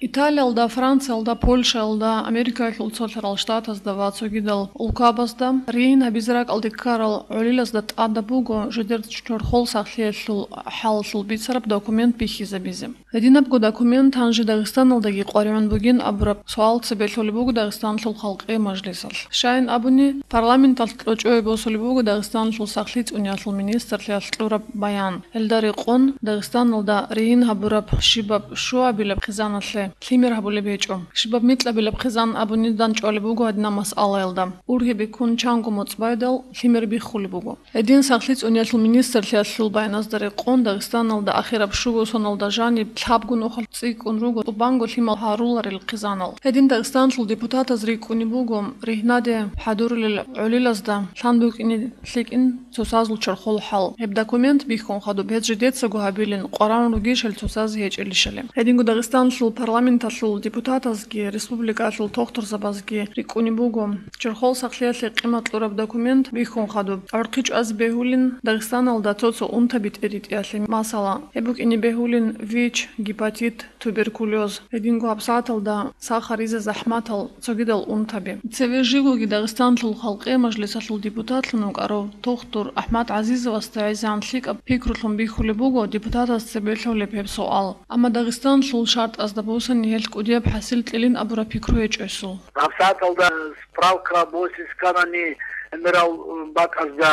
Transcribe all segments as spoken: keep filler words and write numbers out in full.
Италиялда, Франциялда, Польшаялда, Америкаялъул цолъарал штатазда ва цогидал улкабазда ригьин гьабизе ракӀалде ккарал гӀолилазда тӀадаб буго жидер чорхол сахлъиялъул хӀалалъул бицараб документ бихьизабизе. Гьединабго документ гьанже Дагъистаналдаги къваригӀун бугин абураб суал цебе лъолеб буго Дагъистанлъул халкъи мажлисалъ. Щайин абуни, парламенталъ кьочӀое босулеб буго Дагъистанлъул сахлъи цӀуниялъул министрлъиялъ кьураб баян. Гьелда рекъон Дагъистаналда ригьин гьабураб щибаб щуабилаб хъизаналъе лъимер гьабулеб гьечӀо. Щибаб микьабилаб хъизан абуни данчӀвалеб буго гьадинаб масъалаялда. Ургьибе ккун чанго моцӀ байдал лъимер биххулеб буго. Гьедин сахлъи цӀуниялъул министрлъиялъул баяназда рекъон Дагъистаналда ахираб щуго соналда жаниб лъабго нухалъ цӀикӀкӀун руго тӀубанго лъимал гьаруларел хъизанал. Гьедин Дагъистанлъул депутатаз рикӀкӀунеб буго, ригьнаде хӀадурулел гӀолилазда лъан букӀине лъикӀин цоцазул чорхол хӀал. Гьеб документ бихьун хадуб гьез жидецаго гьабилин къваран ругищ гьел цоцазе гьечӀелищали. Гьединго Дагъистанлъул парламенталъул депутатазги республикалъул тохтурзабазги рикӀкӀунеб буго, чорхол сахлъиялъе къимат кьураб документ бихьун хадуб гӀурхъи чӀвазе бегьулин Дагъистаналда цо-цо унтаби тӀеритӀиялъе, масала, гьеб букӀине бегьулин ВИЧ, гепатит, туберкулез, гьединго гьабсагӀаталда сахаризе захӀматал цогидал унтаби. Цеве живгоги Дагъистанлъул халкъи мажлисалъул депутатлъун вукӀарав тохтур АхӀмад ГӀазизовасда гӀезегӀан лъикӀаб пикрулъун бихьулеб буго депутатаз цебе лъолеб гьеб суал. Амма Дагъистанлъул шартӀазда бусани гьелъ кӀудияб хӀасил кьилин абураб пикру гьечӀо гьесул. ГьабсагӀаталда справка босиз кканани, гӀемерал бакӀазда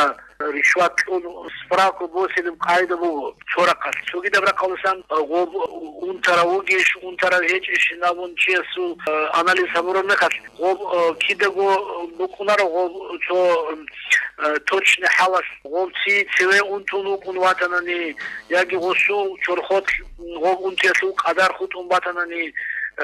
ришват кьун справка босилеб къагӀида буго цо рахъалъ. Цогидаб рахъалдасан гъоб унтарав вугищ, унтарав гьечӀищин абун чиясул, э, анализ гьабураб мехалъ, гъоб, э, кидаго букӀунаро гъоб цо, э, точный хӀалалъ, гъоб ци цеве унтун вукӀун ватанани, яги гъосул чорхолъ гъоб унтиялъул къадар хутӀун батанани,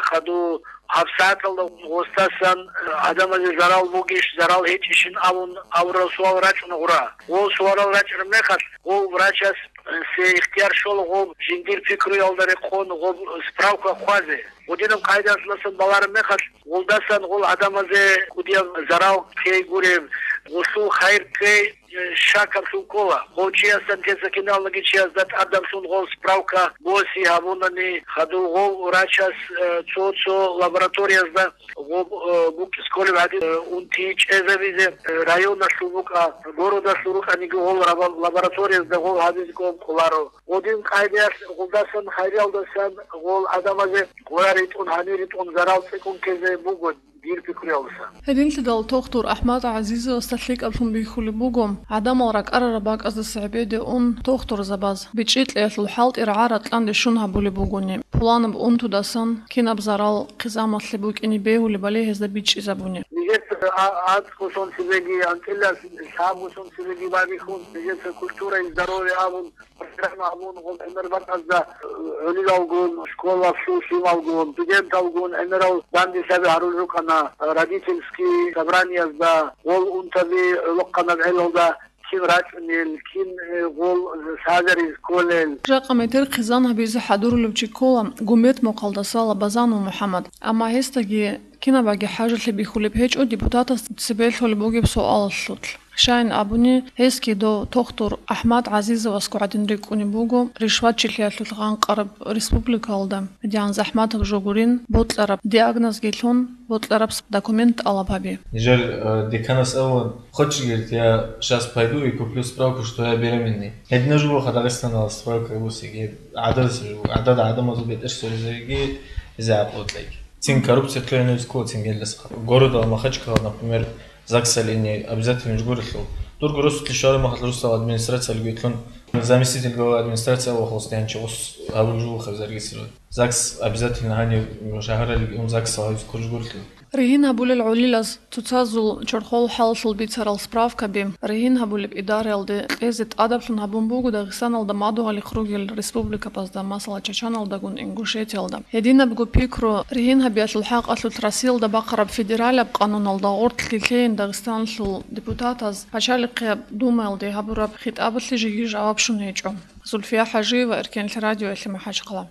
хаду гьабсагӀаталда гъосдасан, э, гӀадамазе зарал бугищ, зарал гьечӀищин абун абурал суал рачӀуна гъура. Гъол суалал рачӀараб мехалъ, гъол врачас, э, се ихтияр щола гъоб жиндир пикруялда рекъон гъоб справка хъвазе. Гъодинаб къайдалъасан балараб мехалъ, гъолдасан гъол гӀадамазе кӀудияб зарал ккей гуреб, гъолъул хайир ккей, э, щакаблъун ккола. Гъов чиясдасан, тесакиналдаги чиясда тӀадаблъун гъол справка боси гьабунани, хадув гъов врачас, э, цо-цо лабораториязда гъоб, э, букӀиз кколеб гьадин, э, унти чӀезабизе, э, районалъул букӀа, городалъул рукӀаниги гъол раба-, лабораториязда гъол гьабизе кколаро. Гъодин къайдаялъ гъолдасан хайриялдасан гъол гӀадамазе гъура ритӀун, гьанир ритӀун зарал цӀикӀкӀун ккезе буго дир пикруялдаса. Гьединлъидал тохтур АхӀмад ГӀазизовасда лъикӀаблъун бихьулеб буго, гӀадамал ракӀарараб бакӀаздаса гӀебеде ун тохтурзабаз, бичӀчӀи кьеялъул хӀалтӀи рагӀа-ракьанде щун гьабулеб бугони, пуланаб унтудасан кинаб зарал хъизамалъе букӀине бегьулебали гьезда бичӀчӀизабуни. Нижер а-, анцӀго сон цебеги, анцӀила лъабго сон цебеги байбихьун, нижеца культура и здоровье абун, программа абун, гъол гӀемер бакӀазда, э, гӀолилалгун, школалъул лъималгун, студенталгун гӀемерал данде лъаби гьарулел рукӀана, родительский собраниязда, гъол унтаби гӀолохъанаб гӀелалда кин рачӀунел, кин, э, гъол сагъариз кколел. Жакъа метер хъизан гьабизе хӀадурулев чи ккола Гуметмухъалдаса Лабазанов МухӀаммад, амма гьесдаги кинабаги хӀажалъи бихьулеб гьечӀо депутатас цебе лъолеб бугеб суалалъулъ. Щайин абуни, гьесги дов тохтур АхӀмад ГӀазизовасго гӀадин рикӀкӀунеб буго ришватчилъиялъулъ гъанкъараб республикалда, гьедигӀан захӀматаб жо гурин, бокьараб диагнозги лъун, бокьараб документ тӀалаб гьаби. Нижер, э, деканас абун, хочешь, говорит, я щас пойду и куплю справку, что я беременный. Гьединаб жо буго Дагъистаналда справка босиги, гӀадамаз-, гӀадада гӀадамазул бетӀер соризеги гьезие гӀакълу кьеги. Цин коррупция кьеги гьезие ккола, цин гьелдаса. Городалда Махачкала, например, ЗАГСалъе обязательно жо гурелъул. Дурго росулъе щвараб мехалъ росдал администрациялги гьелъун, заместитель главы администрации авал холостяй гьанчи гъос гьабулеб жо буго зарегистрировать. ЗАГС обязательно гьанив шагьаралги ун ЗАГСалъ гьабизе кколеб жо гурелъул. Ригьин гьабулел гӀолилаз цоцазул чорхол хӀалалъул бицарал справкаби ригьин гьабулеб идараялде кьезе тӀадаблъун гьабун буго Дагъистаналда мадугьалихъ ругел республикабазда, масала, Чачаналдагун Ингушетиялда. Гьединабго пикру ригьин гьабиялъул хӀакъалъулъ Россиялда бахъараб федералияб къануналда гъоркьги лъейин Дагъистанлъул депутатаз Пачалихъияб Думаялде гьабураб хитӀабалъе жеги жаваб щун гьечӀо. Зульфия ХӀажиева, Эркенлъи радиоялъе МахӀачхъала.